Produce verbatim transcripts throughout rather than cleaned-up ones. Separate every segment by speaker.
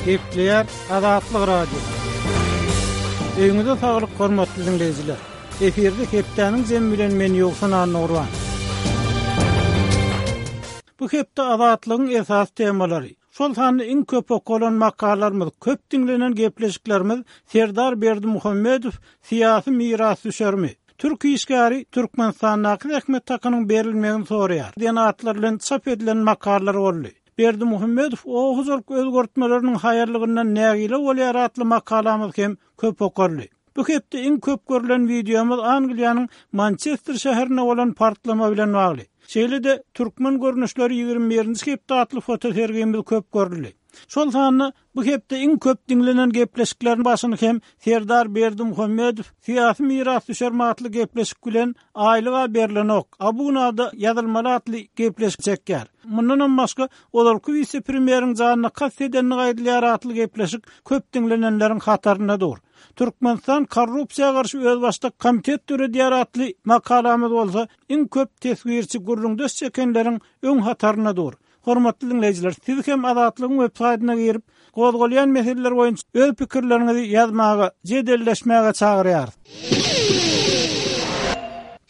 Speaker 1: Gepleýär Azatlyk Radiosy. Öýüňize saglyk hormatly diňleýjiler. Efirde hepdäniň jemi bilen men Ýowşan Annagurban. Bu hepde Azatlygyň esas temalary, şol sanda iň köp okalan makalalarymyz, köp diňlenen gepleşiklerimiz Serdar Berdimuhamedow syýasy mirasdüşermi? Türk işgäri Türkmenistandaky zähmet hakynyň berilmegini soraýar. Diýen atlar bilen çap edilen makalalar boldy. Berdimuhamedow o hojalyk özgertmeleriniň haýyrlygyndan nägile bolýar atly makalamyz hem köp okaldy. Bu hepde iň köp görülen wideomyz Angliýanyň Mançester şäherinde bolan partlama bilen bagly. Şeýle-de türkmen görnüşleri ýigrimi birinji hepde atly fotosergimiz köp görüldi. Şol sanda bu hepde iň köp diňlenen gepleşikleriň başyny hem Serdar Berdimuhamedow syýasy mirasdüşer atly gepleşik bilen aýlyga berlenok, abunada ýazylmaly atly gepleşik çekýär. Mundan hem başga ozalky wise-premýeriň janyna kast edenligi aýdylýar atly gepleşik köp diňlenenleriň hatarynda dur. Türkmenistan korrupsiýa garşy özbaşdak komitet döredýär atly makalamyz bolsa iň köp teswirçi gürrüňdeş çekenleriň öň hatarynda dur. Hormatly diňleýjiler, siz hem Azatlygyň web saýtyna girip, gozgalýan meseleler boýunça öz pikirleriňizi ýazmaga, jedelleşmäge çagyrýarys.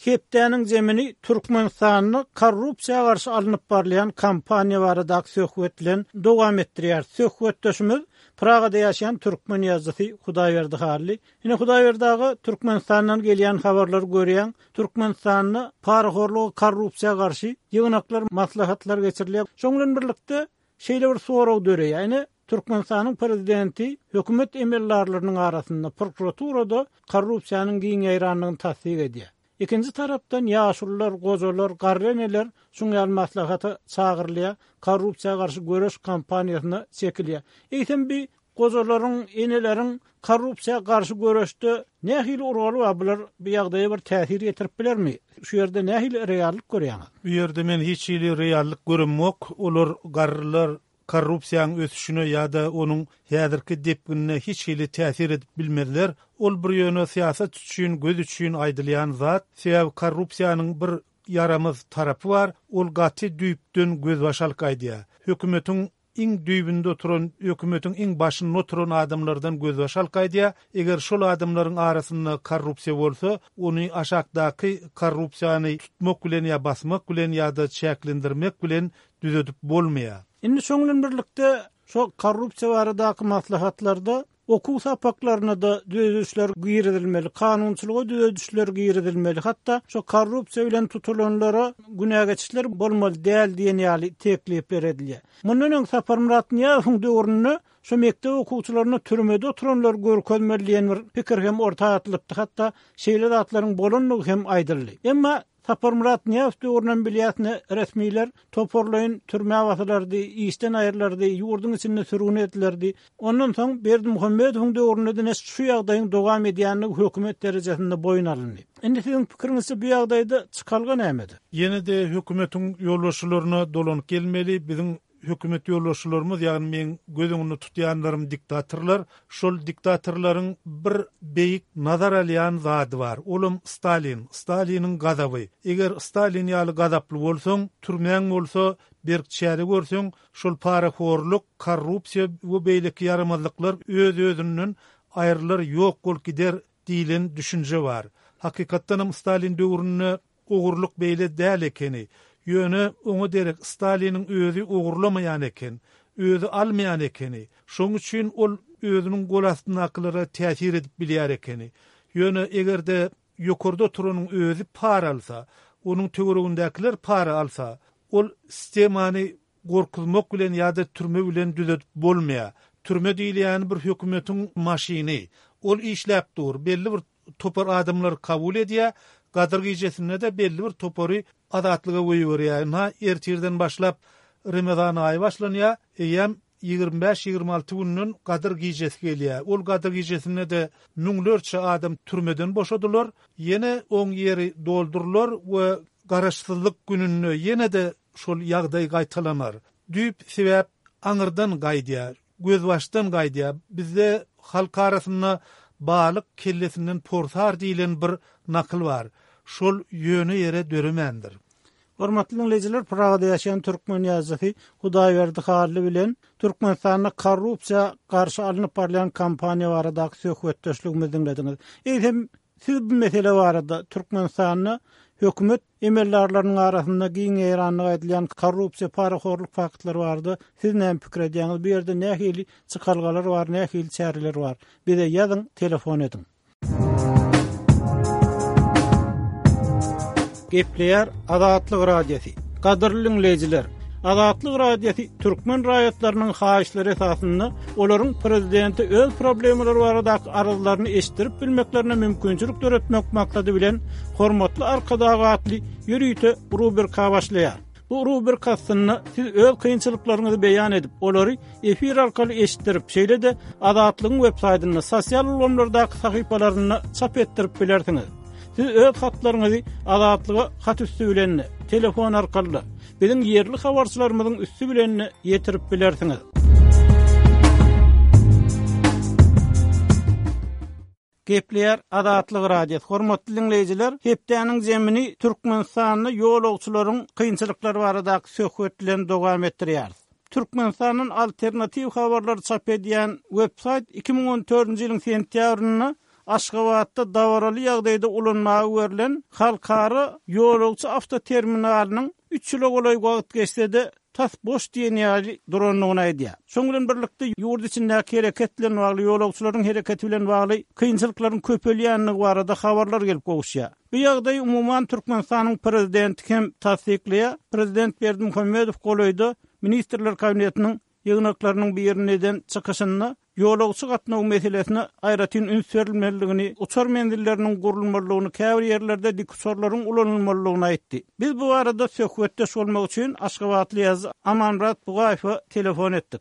Speaker 1: Hepdäniň zemini Türkmenistanda korrupsiýa garşy alnyp barylýan kampaniýa baradaky söhbet bilen dowam etdirýär. Söhbetdeşimiz Pragada ýaşaýan türkmen ýazyjysy Hudaýberdi Hally. Ine Hudaýberdi aga, Türkmenistandan gelýän habarlary görýän, Türkmenistanda parahorluga, korrupsiýa garşy ýygnaklar, maslahatlar geçirilýär. Şoň bilen birlikde şeýle bir sorag döreýär. Ine Türkmenistanyň prezidenti hökümet emeldarlarynyň arasynda prokuraturada korrupsiýanyň giň ýaýrandygyny tassyk edýär. Ikinji tarapdan ýaşulular, gojalar, garry eneler şuň ýaly maslahata çagyrylýar, korrupsiýa garşy göreş kampaniýasyna çekilýär. Eýsem bir gojalaryň, eneleriň korrupsiýa garşy göreşde nähili urgaly bar, bular bu ýagdaýa bir täsir ýetirip bilermi? Şu ýerde nähili reallyk görýäňiz?
Speaker 2: Bu ýerde men hiç hili reallyk göremok. Olar garrylar korrupsiýanyň ösüşine ýa-da onuň häzirki depginine hiç hili täsir edip bilmezler. Ol bir ýöne syýasat üçin, göz üçin aýdylýan zat. Sebäbi korrupsiýanyň bir ýaramaz tarapy bar. Ol gaty düýpden gözbaş alyp gaýdýar. Hökümetiň iň düýbünde oturan, hökümetiň iň başynda oturan adamlardan gözbaş alyp gaýdýar. Eger şol adamlaryň arasynda korrupsiýa bolsa, ony aşakdaky korrupsiýany tutmak bilen ýa basmak bilen ýa-da çäklendirmek bilen düzedip bolmaýar.
Speaker 1: Indi şoň bilen birlikde şo korrupsiýa baradaky maslahatlarda okuw sapaklaryna da düzedişler girizilmeli, kanunçylyga düzedişler girizilmeli. Hatda şo korrupsiýa bilen tutulanlara günä geçişler bolmaly däl diýen ýaly teklipler edilýär. Mundan öň Saparmyrat Nyýazowyň döwründe şo mekdep okuwçylaryna türmede oturanlar görkezmeli diýen bir pikir hem orta atylypdy. Hatda şeýle zatlaryň bolandygy hem aýdyldy. Emma Saparmyrat Nyýazow döwründen bilýäsine resmiler toparlaýyn türmä basylardy, işden aýrylardy, ýurduň içinde sürgün edilerdi. Ondan soň Berdimuhamedowyň döwründe de şu ýagdaýyň dowam edýänligi hökümet derejesinde boýun alyndy. Indi siziň pikiriňizçe bu ýagdaýda çykalga nämedir?
Speaker 2: Ýene-de hökümetiň ýolbaşçylaryna dolanyp gelmeli. Biziň hökümet ýolbaşçylarymyz, ýagny men göz öňünde tutýanlarym diktatorlar, şol diktatorlaryň bir beýik nazar alýan zady bar. Olam Stalin, Staliniň gazaby. Eger Stalin ýaly gazaply bolsaň, türmäň bolsa, berk çäre görseň, şol parahorluk, korrupsiýa we beýleki ýaramazlyklar öz-özünden aýrylar, ýok bolup gider diýlen düşünje bar. Hakykatdan hem Stalin döwründe ogurlyk beýle däl ekeni. Ýöne oňa derek Staliniň özi ogurlamaýan eken, özi almaýan ekeni. Şoň üçin ol özüniň gol astyndakylara täsir edip bilýär ekeni. Ýöne eger-de ýokarda oturanyň özi para alsa, onuň töweregindäkiler para alsa, ol sistemany gorkuzmak bilen ýa-da türme bilen düzedip bolmaýar. Türme diýilýän bir hökümetiň maşyny. Ol işläp dur, belli bir topar adamlar kabul edýär. Gadyr gijesinde de belli bir topary azatlyga goýberýär. Ynha ertirden başlap Ramazan aýy başlanýar. Eýýäm ýigrimi bäş, ýigrimi alty günden Gadyr gijesi gelýär. Ol Gadyr gijesinde de müňlerçe adam türmeden boşadylar. Ýene oň ýeri doldurylar we garaşsyzlyk gününde ýene de şol ýagdaý gaýtalanar. Düýp sebäp aňyrdan gaýdýar, gözbaşdan gaýdýar. Bizde halk arasynda balyk kellesinden porsar diýlen bir nakyl bar. Şol ýöne ýere döremändir.
Speaker 1: Hormatly dinleýjiler, Pragada ýaşaýan türkmen ýazyjysy Hudaýberdi Hally bilen Türkmenistanda korrupsiýa garşy alnyp barylýan kampaniýa baradaky söhbetdeşligimizi diňlediňiz. Eýsem, siz bu mesele barada Türkmenistanda hökümet emeldarlarynyň arasynda giň ýaýranlygy aýdylýan korrupsiýa, parahorluk faktlary barada siz näme pikir edýäňiz? Bu ýerde nähili çykalgalar bar, nähili çäreler bar? Bize ýazyň, telefon ediň. Gepleýär Azatlyk Radiosy. Gadyrly dinleýjiler, Azatlyk Radiosy türkmen raýatlarynyň haýyşlary esasynda olaryň prezidente öz problemalary baradaky arzlaryny eşitdirip bilmeklerine mümkinçilik döretmek maksady bilen Hormatly Arkadag atly ýörite rubrika başlaýar. Bu rubrika astynda siz öz kynçylyklaryňyzy beýan edip, olary efir arkaly eşitdirip, şeýle-de Azatlygyň web saýtynda, sosial ulgamlardaky sahypalarynda çap etdirip bilersiňiz. Siz öz hatlaryňyzy Azatlyga hat üsti bilen, telefon arkaly, biziň ýerli habarçylarymyzyň üsti bilen ýetirip bilersiňiz. Gepleýär Azatlyk Radiosy. Hormatly dinleýjiler, hepdäniň zemini Türkmenistanda ýolagçylaryň kynçylyklary baradaky söhbet bilen dowam etdirýäris. Türkmenistanyň alternatiw habarlary çap edýän web saýt iki müň on dördünji ýylyň sentýabrynda Aşgabatda dabaraly ýagdaýda ulanmaga berlen halkara ýolagçy awtoterminalynyň üç ýyla golaý wagt geçse-de tas boş diýen ýaly durandygyny aýdýar. Şoň bilen birlikde ýurt içindäki hereket bilen bagly, ýolagçylaryň hereketi bilen bagly kynçylyklaryň köpelýändigi barada habarlar gelip gowuşýar. Bu ýagdaý umuman Türkmenistanyň prezidenti hem tassyklaýar. Prezident Berdimuhamedow golaýda Ministrler Kabinetiniň ýygnaklarynyň birinde eden çykyşynda ýolagçy gatnaw meselesine aýratyn üns berilmelidigini, uçar menzilleriniň gurulmalydygyny, käbir ýerlerde dik uçarlaryň ulanylmalydygyny aýtdy. Biz bu barada söhbetdeş bolmak üçin Aşgabatly ýazyjy Amanmyrat Bugaýewe telefon etdik.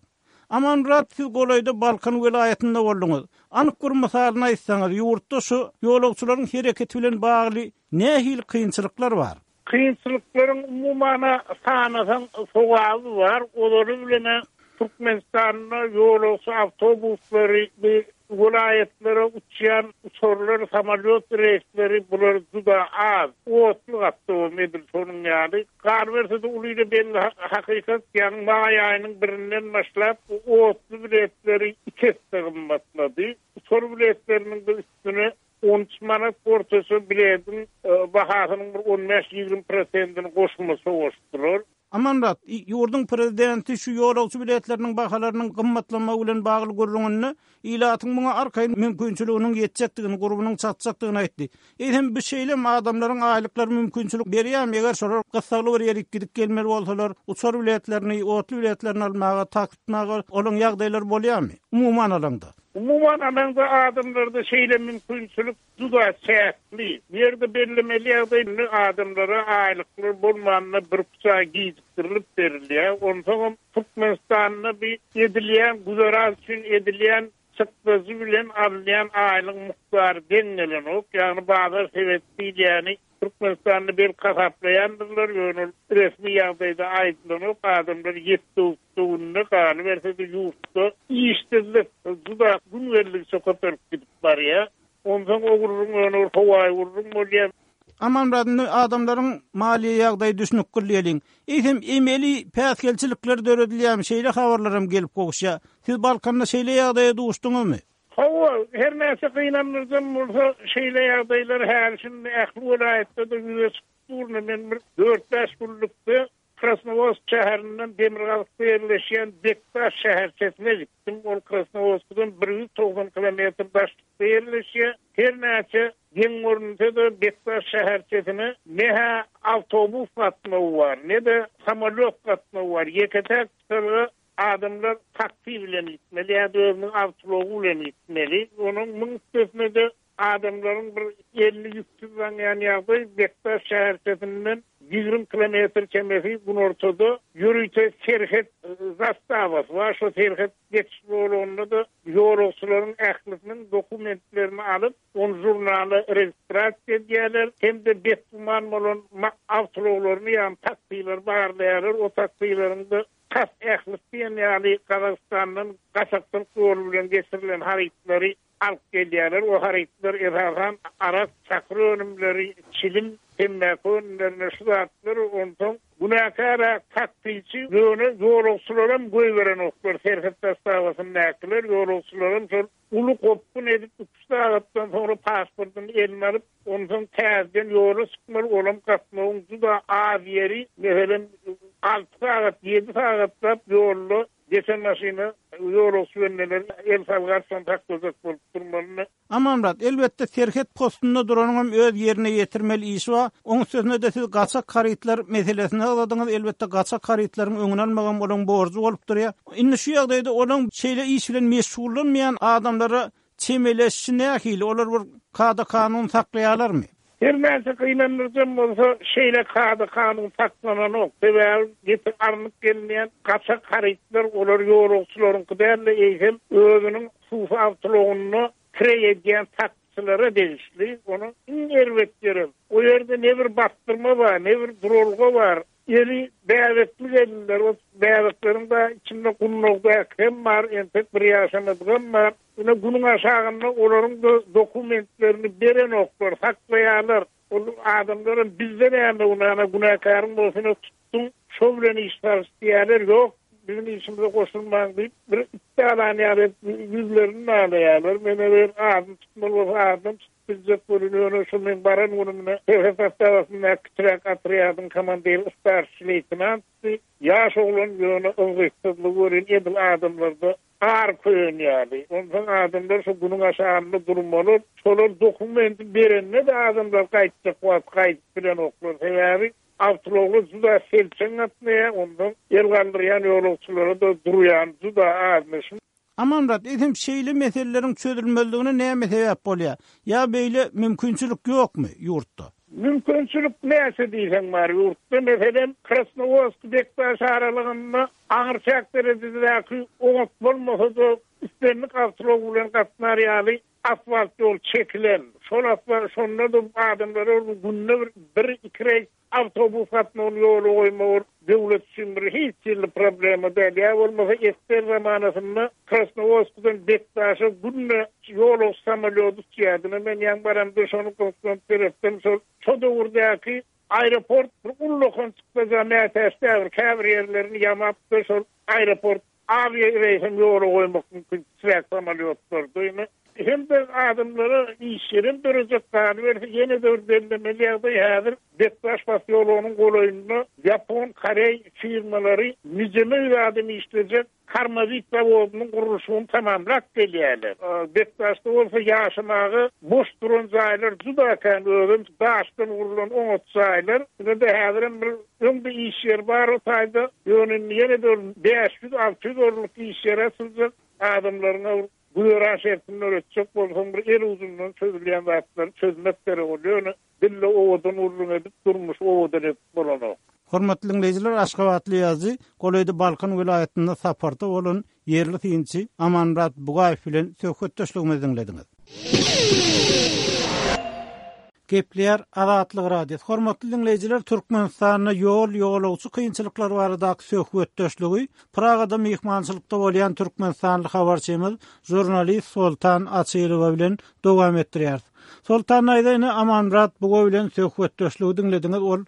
Speaker 1: Amanmyrat, siz golaýda Balkan welaýatynda bolduňyz. Anyk bir mysalyny aýtsaňyz, ýurtda şu ýolagçylaryň hereketi bilen bagly nähili kynçylyklar bar?
Speaker 3: Kynçylyklaryň umumana sanasaň sogaby bar. Olary bilen Türkmenistanda ýolagçy awtobuslary, bu welaýatlara uçýan uçarlar, samolyot reýsleri bular juda az. Otly gatnaw edil şonuň ýaly. Galyberse-de uly belli hakykat, ýagny maý aýynyň birinden başlap otly biletleri iki esse gymmatlady. Uçar biletleriniň de üstüne on üç manat ortaça biletin, e, bahasynyň bir on bäş ýigrimi prosentini goşmaça goşdular.
Speaker 1: Amanmyrat, ýurduň prezidenti şu ýolagçy biletleriniň bahalarynyň gymmatlamagy bilen bagly gürrüňinde ilatyň muňa arkaýyn mümkinçiliginiň ýetjekdigini, gurbunyň çatjakdygyny aýtdy. Eýsem bu şeýle adamlaryň aýlyklary mümkinçilik berýärmi? Eger şolar gyssagly bir ýere gidip gelmeli bolsalar, uçar biletlerini, otly biletlerini almaga, taksitmaga olaň ýagdaýlary bolýarmy? Umuman alanda.
Speaker 3: Umuman alanda adamlarda şeýle mümkinçilik juda çäkli. Bu ýerde bellemeli ýagdaý adamlara aýlyklar bolmanda bir puça gijikdirilip berilýär. Onsoňam Türkmenistanda bir edilýän güzeran üçin edilýän çykdajy bilen alynýan aýlyk mukdary deň gelenok. Ýagny bazar sebet diýilýäni Türkmenistanda bir hasaplaýandyrlar, ýöne resmi ýagdaýda aýdylanok. Adamlar ýetdi-günde galyberse-de ýurtda işsizlik juda gün geldikçe köpelip gidip barýar. Onsoň o gurrun ýöne howaý gurrun bolýar.
Speaker 1: Amanmyrat, indi adamlaryň maliýe ýagdaýy düşünip gürleýeliň. Eýsem emeli päsgelçilikler döredilýärmi? Şeýle habarlar hem gelip gowuşýar. Siz Balkanda şeýle ýagdaýa duşduňyzmy?
Speaker 3: Hawa, her näçe gynandyrjam bolsa şeýle ýagdaýlar häli şimdi ähli welaýatda-da ýüze çykyp dur. Men bir dört bäş günlükde Krasnowodsk şäherinden Demirgazykda ýerleşýän Bektaş şäherçesine gitdim. Ol Krasnowodskdan bir ýüz togsan kilometr daşlykda ýerleşýär. Her näçe geň görünse-de Bektaş şäherçesine ne-hä awtobus gatnawy bar, ne-de samolyot gatnawy bar. Ýeke-täk çykalga adamlar taksi bilen gitmeli ýa-da özüniň awtoulag bilen gitmeli. Onuň müň üstesine-de adamlaryň bir elli ýüksüz zaňýan ýagdaý Bektaş şäherçesinden ýigrimi kilometr çemesi günortada ýörite serhet zastawasy bar. Şo serhet geçiş zolagynda-da ýolagçylaryň ählisiniň dokumentlerini alyp, on jurnala registrasiýa edýärler, hem-de betgüman bolan ma-, awtoulaglaryny, ýagny taksileri barlaýarlar. O taksileriň de tas ählisi diýen ýaly Gazagystandan gaçakçylyk ýoly bilen geçirilen harytlary alyp gelýärler. O harytlar esasan arak, çakyr önümleri, çilim, temmäki önümlerine şu zatlar onsoň günäkär taksiçi ýöne ýolagçylaram goýberenoklar serhet zastavasyndakylar ýolagçylaram şol uly gopgun edip üç sagatdan soňra pasportyny eline alyp onsoň täzeden ýola çykmaly olam gatnawyň juda az ýeri meselem alty sagat ýedi sagatlap ýolda geçen maşyna ýolagçy bendeler el salgarsan saklajak bolup durmaly.
Speaker 1: Amanmyrat, elbetde serhet postunda duranyňam öz ýerine ýetirmeli işi bar. Oň üstesine-de siz gaçak harytlar meselesini agzadyňyz. Elbetde gaçak harytlaryň öňüni almagam olaň borjy bolup durýar. Indi şu ýagdaýda olaň şeýle iş bilen meşgullanmaýan adamlara çemeleşişi nähili? Olar bir kada kanun saklaýarlarmy?
Speaker 3: Her näçe gynandyrjam bolsa şeýle kada kanun saklananok. Sebäbi getir alnyp gelinýän gaçak harytlar olar ýolagçylaryňky däl-de eýsem özüniň hususy awtoulagynda kireý edýän taksiçilere degişli. Onuň iň erbet ýeri o ýerde ne bir bastyrma bar, ne bir duralga bar. Eli bäbekli gelinler, o bäbekleriň da içinde gundagdaky hem bar, entek bir ýaşamadygam bar. Ine günüň aşagynda olaryň da dokumentlerini berenoklar, saklaýarlar. Ol adamlaram bizde näme günäne günäkäriň bolsun tutduň, şo bilen iş salyş diýerler, ýok, bizim işimize goşulmaň diýip bir iddialan ýaly ýüzlerini alaýarlar. Men eger adyny tutmaly bolsa adyny tutup biljek bolun, ýöne şu men baran günümde serhet zastavasynda kiçiräk otrýadyň komandiri starşi leýtenantdy. Ýaş oglan ýöne yzgytsyzlygy görün edil adamlarda ar köýen ýaly. Onsoň adamlar şu günüň aşagynda durmaly. Şolar dokumenti berende de adamlar gaýtjak wagt gaýdyp bilenoklar. Sebäbi awtoulaglar juda selçeň gatnaýar, ondan el galdyrýan ýolagçylara da durýan juda azmyş.
Speaker 1: Amanmyrat, eýsem şeýle meseleleriň çözülmezligine näme sebäp bolýar? Ýa beýle mümkinçilik ýokmy ýurtda?
Speaker 3: Mümkinçilik näçe diýseň bar ýurtda. Meselem, Krasnowodsk Bektaş aralygynda aňyr çäk derejedäki oňat bolmasa-da islendik awtoulag bilen gatnar ýaly asfalt ýol çekilen. Şol asfalt şonda da adamlara günde bir, bir iki reýs awtobus gatnawyny ýola goýmak döwlet üçin bir hiç ýylly problema däl. Ýa bolmasa esger zamanasynda Krasnowodskdan Bektaşa günde ýolagçy samolýoty uçýardy. Men ýaň baramda şony gyzyklanyp seretdim. Şol şo döwürdäki aeroport bir ullakan çykdaja mätäç däl, käbir ýerlerini ýamapdy. Şol aeroport awiýa reýsem ýola goýmak mümkin kiçiräk samolýotlar ýöne hem de adamlara iş ýerim dörejek galyberse ýene de bir bellemeli ýagdaý häzir Bektaş posýologynyň golaýynda Ýapon, Koreý firmalary nijeme ýüz adam işlejek Karmawit zawodynyň gurluşygyny tamamlap gelýärler. Bektaşda bolsa ýaşamaga boş duran jaýlar juda kän, özem daşdan gurlan oňat jaýlar. Ine de häzirem bir öň bir iş ýeri bar o taýda. Ýöne indi ýene de bäş ýüz, alty ýüz orunlyk iş ýeri açyljak. Adamlaryň güzeran şertini öwretjek bolsaň bir el uzundan çözülýän zatlary çözmek gerek bolýar. Ýöne dille owadan gurlum edip durmuş owadan edip bolanok.
Speaker 1: Hormatly dinleýjiler, Aşgabatly ýazyjy, golaýda Balkan welaýatynda saparda bolan ýerli synçy Amanmyrat Bugaýew bilen söhbetdeşligimizi dinlediňiz. Gepleýär Azatlyk Radiosy. Hormatly dinleýjiler, Türkmenistanda ýol ýolagçy kynçylyklary baradaky söhbetdeşligi Pragada myhmançylykda bolýan Türkmenistanly habarçymyz žurnalist Soltan Açylowa bilen dowam etdirýär. Soltan aýda ine Amanmyrat Bugaýew bilen söhbetdeşligi dinlediňiz. Ol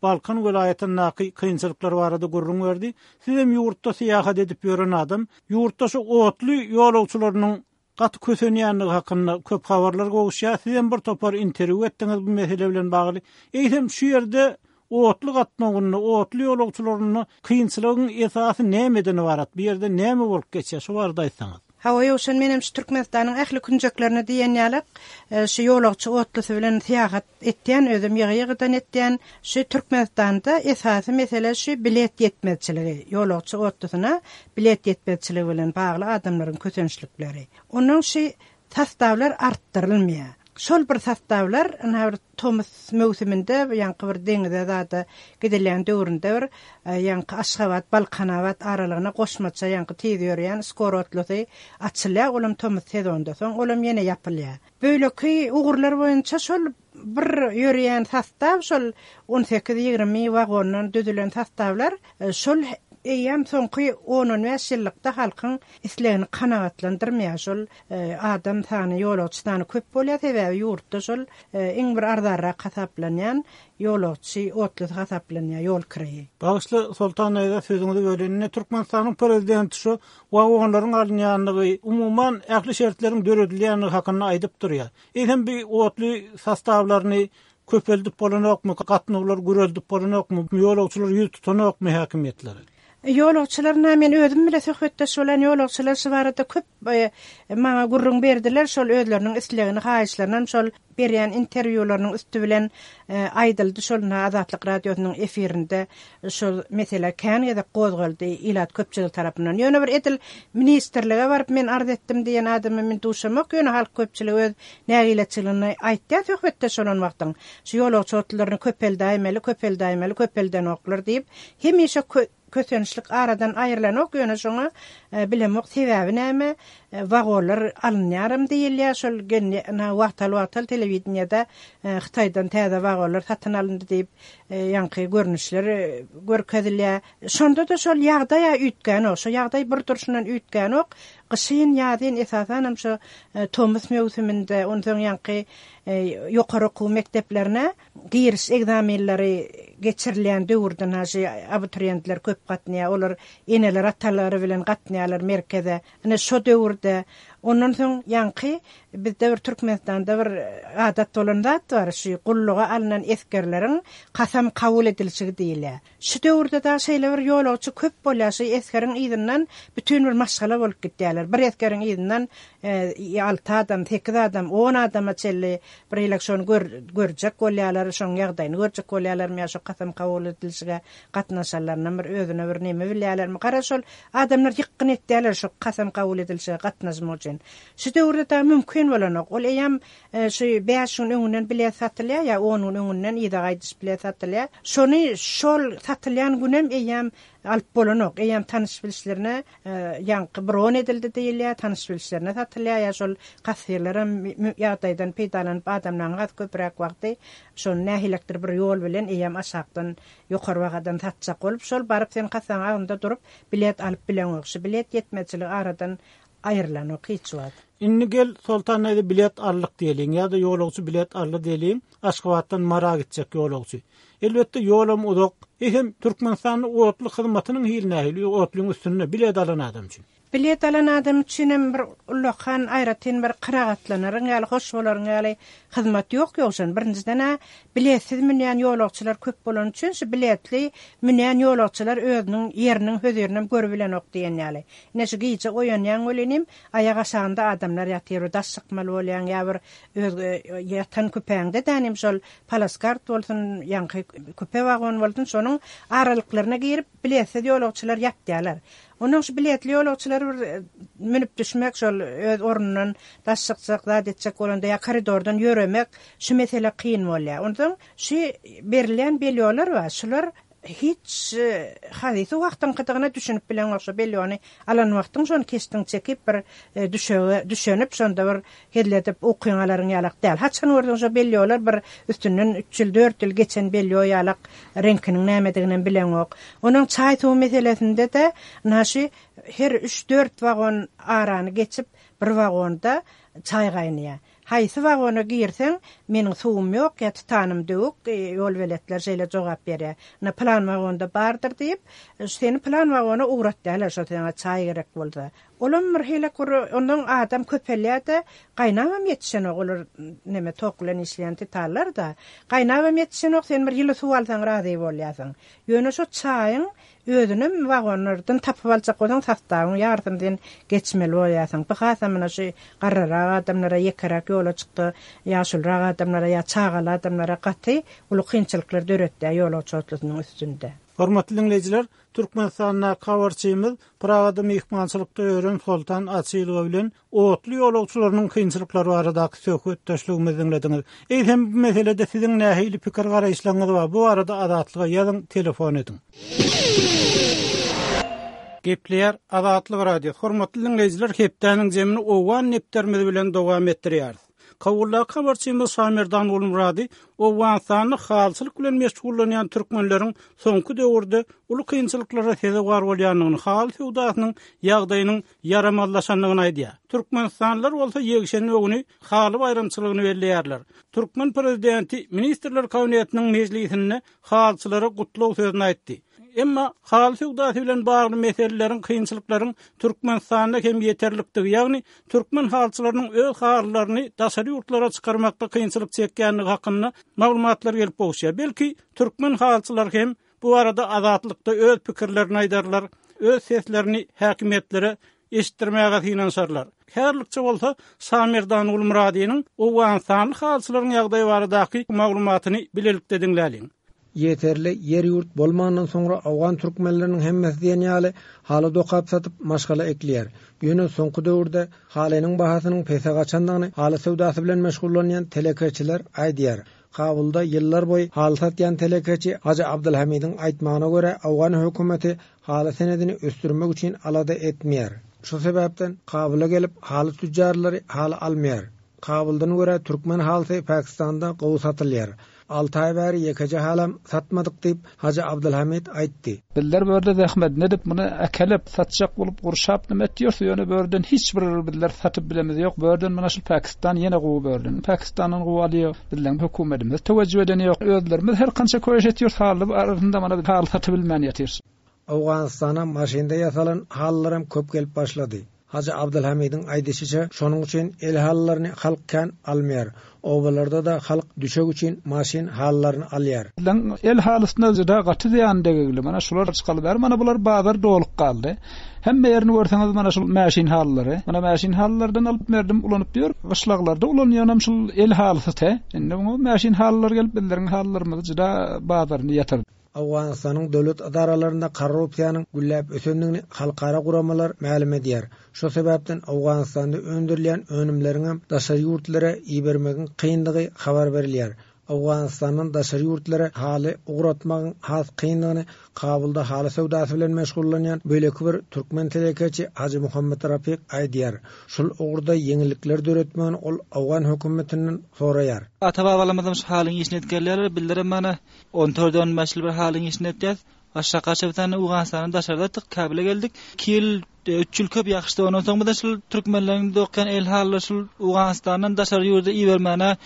Speaker 1: Balkan welaýatyndaky kynçylyklar barada gürrüň berdi. Siz hem ýurtda syýahat edip ýören adam, ýurtda şu otly ýolagçylarynyň gaty kösenýänligi hakynda köp habarlar gowuşýar. Siz hem bir topar interwýu etdiňiz bu mesele bilen bagly. Eýsem şu ýerde otly gatnawynda, otly ýolagçylarynyň kynçylygyň esasy nämeden ybarat? Bu ýerde näme bolup geçýär? Şu barada aýtsaňyz.
Speaker 4: Hawa ýowşan menem şu Türkmenistanyň ähli künjeklerine diýen ýalyk, e, şu ýolagçy otlysy bilen syýahat etýän, özüm ýygy-ýygydan etýän. Şu Türkmenistanda esasy mesele şu bilet ýetmezçiligi, ýolagçy otlysyna bilet ýetmezçiligi bilen bagly adamlaryň kösençlikleri. Onuň şu sastawlar artdyrylmaýar. Şol bir sastawlar ynha bir tomus möwsüminde ýaňky bir deňize zada gidilýän döwründe bir, e, ýaňky Aşgabat, Balkanabat aralygyna goşmaça ýaňky tiz ýörýän skorotlysy açylýar, olam tomus sezonda soň olam ýene ýapylýar. Beýleki ugurlar boýunça şol bir ýörýän sastaw, şol on sekiz ýigrimi wagondan düzülen sastawlar, e, şol eýýäm soňky on-on bäş ýyllykda halkyň islegini kanagatlandyrmaýar. Şol adam sany, ýolagçy sany köp bolýar, sebäbi ýurtda şol iň bir arzanrak hasaplanýan ýolagçy otlusy hasaplanýar, ýol kireýi.
Speaker 1: Bagyşla Soltan daýza sözüňizi bölenine Türkmenistanyň prezidenti şu wagonlaryň alynýanlygy, umuman ähli şertleriň döredilýänligi hakynda aýdyp durýar. Eýsem bir otly sostawlaryny köpeldip bolanokmy, gatnawlar güreldip bolanokmy, ýolagçylar ýüz tutanokmy häkimiýetleri?
Speaker 4: Ýolagçylaryna men özüm bile söhbetdeş bolan ýolagçylar şu barada köp, e, maňa gürrüň berdiler, şol özleriniň islegini, haýyşlaryny şol berýän interwýularynyň üsti bilen, e, aýdyldy. Şol Azatlyk radiosynyň efirinde şol mesele kän gezek gozgaldy ilat köpçülik tarapyndan. Ýöne bir edil ministrlige baryp men arz etdim diýen adamy men duşamak, ýöne halk köpçüligi öz nägileçiligini aýtdy söhbetdeş bolan wagtyň. Şu ýolagçy otlylaryny köpeldäýmeli, köpeldäýmeli, köpeldenoklar diýip, hemişe kö-, kösençlik aradan aýrylanok, ýöne şoňa, e, bilemok sebäbi näme, e, wagonlar alynýarym diýilýär. Şol gelni, na, wagtal-wagtal telewideniýede, e, Hytaýdan täze wagonlar satyn alyndy diýip, e, ýaňky görnüşler, e, görkezilýär. Şonda da şol ýagdaýa üýtgänok, şo ýagdaý bir durşundan üýtgänok. Gyşyn, ýazyn esasanam şo, e, tomus möwsüminde, onsoň ýaňky, e, ýokary okuw mekdeplerine giriş ekzamenleri geçirilýän döwürden haşy abituriýentler köp gatnaýar. Olar eneler atalary bilen gatnaýarlar merkeze. Ine şo döwürde ondan soň ýaňky bizde bir Türkmenistanda bir adat bolan zat bar, şu gulluga alnan esgerleriň kasam kabul edilişi diýilýär. Şu döwürde da şeýle bir ýolagçy köp bolýar, şu esgeriň yzyndan bütün bir maşgala bolup gitýärler. Bir esgeriň yzyndan, e, alty adam, sekiz adam, on adama çenli bir ýylak şony gör-, görjek bolýarlar, şoň ýagdaýyny görjek bolýarlar, ýa şo kasam kabul edilişige gatnaşanlaryna bir özüne bir neme bilýärlermi? Gara şol adamlar ýykgyn etýärler şo kasam kabul edilişige gatnaşmak üçin. Şu döwürde da mümkin bolanok. Ol eýem, e, şu bäş gün öňünden bilet satylýar ýa on gün öňünden ýa gaýdyş bilet satylýar. Şony şol satylýan günem eýem alyp bolanok. Eýem tanyş bilişlerine, e, ýaňky bron edildi diýilýär, tanyş bilişlerine satylýar ýa şol kassirler hem mü-, mü-, ýagdaýdan peýdalanyp adamlaryň has köpräk wagty şony nähilekdir bir ýol bilen eýem aşakdan ýokary bagadan satjak bolup şol baryp sen kassaň agynda durup bilet alyp bileňok. Şu bilet ýetmezçiligi aradan aýrylanok hiç wagt.
Speaker 1: Indi gel Soltan näde bilet aldyk diýeliň ýa-da ýolagçy bilet aldy diýeliň, Aşgabatdan Mara gitjek ýolagçy. Elbetde ýolam uzak. Ehem Türkmenistanyň otly hyzmatynyň hili nähili, otlyň üstünde bilet alan adam üçin.
Speaker 4: Bilet alan adam üçin hem bir ullakan aýratyn bir kanagatlanaryn ýaly, hoş bolaryn ýaly hyzmat ýok ýogşan. Birinjiden ha biletsiz münýän ýolagçylar köp bolan üçin şu biletli münýän ýolagçylar özüniň ýeriniň hözirini hem görüp bilenok diýen ýaly. Ine şu gije oýanýan welinim aýak aşagynda adamlar ýatyr, daş çykmaly bolýan ýa bir öz, e, ýatan küpäňde dänim şol palaskart bolsun, ýaňky küpe wagon bolsun, şonuň aralyklaryna girip biletsiz ýolagçylar ýatýarlar. Onuň şu biletli ýolagçylar bir, e, münüp düşmek, şol öz ornundan daş çykjak, zat etjek bolanda ýa koridordan ýöremek şu mesele kyn bolýar. Ondan şu berilýän belýolar bar, şular hiç, e, hadysy wagtyň gydygyna düşünip bilen bolsa belýony alan wagtyň şony kesdiň çekip bir, e, düşege düşenip şonda bir hezledip okyňalaryň ýalak däl. Haçan gördüň şo belýolar bir üstünden üç ýyl, dört ýyl geçen belýo ýalak reňkiniň nämedigini bileňok. Onuň çaý suw meselesinde de naşy her üç dört wagon arany geçip bir wagonda çaý gaýnaýar. Haýsy wagona girseň, meniň suwum ýok, ýa titanym döwük, e, ýol beletler şeýle jogap berýär. Na plan wagonda bardyr diýip, e, seni plan wagona ugratýarlar, şo saňa çaý gerek bolsa. Olam bir hile kur, ondan adam köpelýär-de, gaýnagam ýetişenok, olar neme tok bilen işleýän titanlar da. Gaýnagam ýetişenok, sen bir ýyly suw alsaň razy bolýarsyň. Ýöne şo çaýyň özünem wagonlardan tapyp aljak bolsaň, sastawyň ýarsyny sen geçmeli bolýarsyň. Bu hasam mına şu garrarak adamlara ýekeräk ýola çykdy, ýaşulrak adamlara ýa çagaly adamlara gaty uly kynçylyklar döretdi ýolagçy otlusynyň üstünde.
Speaker 1: Hormatly dinleýjiler, Türkmenistanda habarçymyz Pragada myhmançylykda ýören Soltan Açylowa bilen otly ýolagçylarynyň kynçylyklary baradaky söhbetdeşligimizi dinlediňiz. Eýsem bu meselede siziň nähili pikir garaýyşlaryňyz bar? Bu barada Azatlyga ýazyň, telefon ediň. Gepleýär Azatlyk Radio. Hormatly dinleýjiler, hepdäniň jemini Owgan nepterimiz bilen dowam etdirýäris. Kabuldaky habarçymyz Şamerdan Gulmurady Owganystanda halyçylyk bilen meşgullanýan türkmenleriň soňky döwürde uly kynçylyklara sezewar bolýandygyny, haly söwdasynyň ýagdaýynyň ýaramazlaşandygyny aýdýar. Türkmenistanlylar bolsa ýekşenbe güni haly baýramçylygyny belleýärler. Türkmen prezidenti Ministrler Kabinetiniň mejlisinde halyçylara gutlag sözüni aýtdy. Emma haly söwdasy bilen bagly meseleleriň, kynçylyklaryň Türkmenistanda hem ýeterlikdigi, ýagny türkmen halyçylarynyň öz halylaryny daşary ýurtlara çykarmakda kynçylyk çekýändigi hakynda maglumatlar gelip gowuşýar. Belki, türkmen halyçylary hem bu barada Azatlykda öz pikirlerini aýdarlar, öz seslerini häkimiýetlere eşitdirmäge synanyşarlar. Häzirlikçe bolsa Şamerdan Gulmyradynyň owganystanly halyçylaryň ýagdaýy baradaky maglumatyny bilelikde diňläliň.
Speaker 5: Ýeterli ýer-ýurt bolmandan soňra owgan türkmenleriniň hemmesi diýen ýaly haly dokap satyp maşgala ekleýär. Ýöne soňky döwürde halynyň bahasynyň pese gaçandygyny haly söwdasy bilen meşgullanýan telekeçiler aýdýar. Kabulda ýyllar boýy haly satýan telekeçi Hajy Abdulhamidiň aýtmagyna görä owgan hökümeti haly senedini ösdürmek üçin alada etmeýär. Şu sebäpden Kabula gelip haly tüccarlary haly almaýar. Kabuldan görä türkmen halysy Pakistanda gowy satylýar. Alty aý bäri ýekeje halam satmadyk diýip Hajy Abdulhamid aýtdy.
Speaker 6: Bizler bu ýerde zähmet edip muny äkelip satjak bolup gurşap nime etýärse, ýöne bu ýerden hiç bir bizler satyp bilemiz ýok. Bu ýerden mana şu Pakistan ýene gowy bu ýerden. Pakistandan gowy alýar. Bizleň hökümetimiz teweccüh eden ýok. Özlerimiz her kança köýüş etýär, haly arasynda mana bir haly satyp bilmän ýatyrys.
Speaker 5: Owganystana maşynda ýasalan halylaram köp gelip başlady. Hajy Abdulhamidiň aýdyşyça, şonuň üçin el halylaryny halk kän almaýar. Obalarda da halk düşek üçin maşyn halylaryny alýar.
Speaker 6: Bizleň el halysyna juda gaty zyýan degigli. Mana şular çykaly bäri, mana bular bazar dolup galdy. Hemme ýerini görseňiz mana şul maşyn halylary. Mana maşyn halylardan alyp berdim, ulanyp diýär. Gyşlaglarda ulanýanam şul el halysy te. Indi muňa maşyn halylar gelip bizleriň halylarymyzy juda bazaryny ýatyrdy.
Speaker 5: Owganystanyň döwlet edaralarynda korrupsiýanyň gülläp ösendigini halkara guramalar mälim edýär. Şu sebäpden Owganystanda öndürilýän önümleriň hem daşary ýurtlara ibermegiň kyndygy habar berilýär. Owganystandan daşary ýurtlara haly ugratmagyň has kyndygyny Kabulda haly söwdasy bilen meşgullanýan beýleki bir türkmen telekeçi Hajy Muhammed Rafik aýdýar. Şul ugurda ýeňillikler döretmegini ol owgan hökümetinden soraýar.
Speaker 7: Ata-babalarymyzam şu halyň işini etgerler, bildirim mana on dörtden başly bir halyň işini etýär. Aşağı kaçı bir tane Owganystandan daşarda tık Kabule geldik. Iki ýyl, üç ýyl köp ýakşdy. Ondan soň bu da şul türkmenleriň dokýan el halylar şul Owganystandan daşary ýurda ibermäne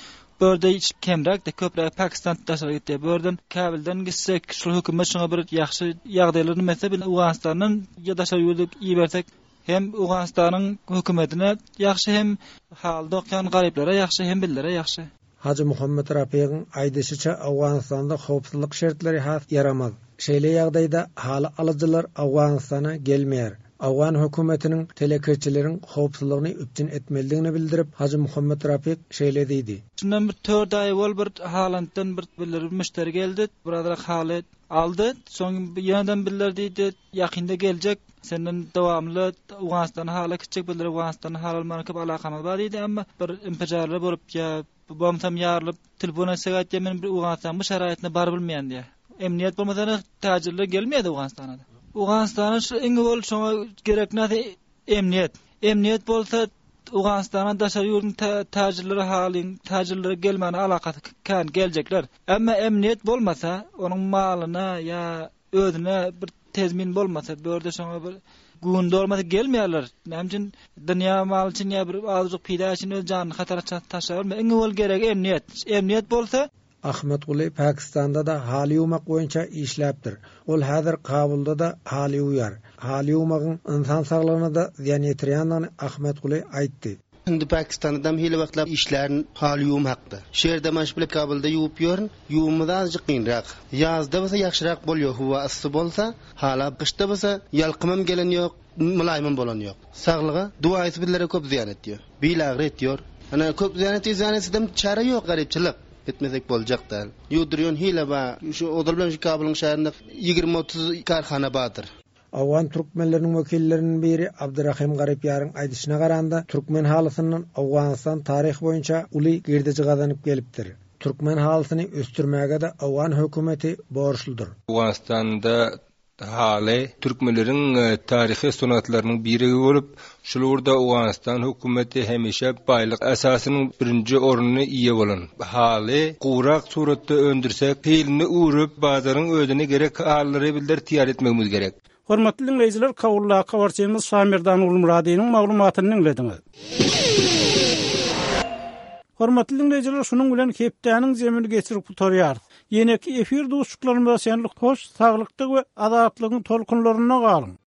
Speaker 7: Börde hiç kemräk de köpräk Pakistan daşary gitdi. Börden Kabuldan gitsek, şul hökümet şoňa bir ýagşy ýagdaýlaryny mese biz Owganystandan ýa daşary ýurda ibersek hem Owganystanyň hökümetine ýagşy hem haly dokýan garyplara ýagşy hem billere ýagşy.
Speaker 5: Hajy Muhammed Rafigiň aýdyşyça Owganystanda howpsuzlyk şertleri has ýaramaz. Şeýle ýagdaýda haly alyjylar Owganystana gelmeýär. Owgan hökümetiniň telekeçileriň howpsuzlygyny üpjün etmelidigini bildirip Hajy Muhammed Rafik şeýle diýdi.
Speaker 7: Şundan bir dört aý bol bir Haalanddan bir bildirip müşderi geldi. Birazrak haly aldy. Soň ýönden biller diýdi, ýakynda geljek. Senden dowamly Owganystana hala gitjek bildirip Owganystana hal almaga köp alakamyz bar diýdi, amma bir impijarlar bolup ýa bomsam ýarylyp telefon etsek aýtdy, men bir Owganystan bu şaraýatna bar bilmeýän diýä. Emniyet bolmasa täjirler gelmeýär Owganystana. Owganystana şu iň bol şoňa gerek näse emniyet. Emniyet bolsa Owganystana daşary ýurduň täjirleri halyň täjirleri gelmäne alakasy kän geljekler. Emma emniyet bolmasa onuň malyna ýa özüne bir tezmin bolmasa, bu ýerde şoňa bir gün dolmasa gelmeýärler. Näme üçin dünýä maly üçin ýa bir azajyk pida üçin öz janyny hatara taşlar. Iň bol gerek emniyet. Emniyet bolsa
Speaker 5: Ahmet Guli Pakistanda da haly ýuwmak boýunça işläpdir. Ol häzir Kabulda da haly ýuwýar. Haly ýuwmagyň insan saglygyna da zyýan ýetirýändigini Ahmet Guli aýtdy.
Speaker 8: Indi Pakistanda hili wagtlap işlärin haly ýuwum hakda. Şeýerde maş bile Kabulda ýuwup ýörün, ýuwumyz azajyk kynrak. Ýazda bolsa ýagşyrak bolýar, howa yssy bolsa, hala gyşda bolsa ýalkymam gelen ýok, mylaýymam bolan ýok. Saglyga duaýsy bizlere köp zyýan etýär. Bil agry etýär. Ana köp zyýan etýär, zyýan etsedem çäre ýok, garypçylyk. Etmesek boljak däl. Ýudurýan hile ba, şu ozal bilen şu Kabulyň şäherinde ýigrimi otuz karhana bardyr.
Speaker 5: Owgan türkmenleriniň wekilleriniň biri Abdurrahim Garypýaryň aýdyşyna garanda türkmen halysyndan Owganystan taryh boýunça uly girdeji gazanyp gelipdir. Türkmen halysyny ösdürmäge de Owgan hökümeti borçludyr.
Speaker 9: Owganystanda Haly türkmenleriň taryhy sungatlarynyň biri bolup, şul ugurda Owganystan hökümeti hemişe baýlyk esasynyň birinji ornuny eýe bolan. Haly gurak suratda öndürsek, hilini öwrüp, bazaryň özüne gerek halylary bizler taýýar etmegimiz gerek.
Speaker 1: Hormatly diňleýjiler, Kabuldaky habarçymyz Şamerdan Gulmyradynyň maglumatyny diňlediňiz. Hormatly diňleýjiler, şunuň bilen hepdäniň jemini geçirip gutarýarys. Ýeneki efir duşuşyklarymyza çenli hoş, saglykda we azatlygyň tolkunlarynda galyň.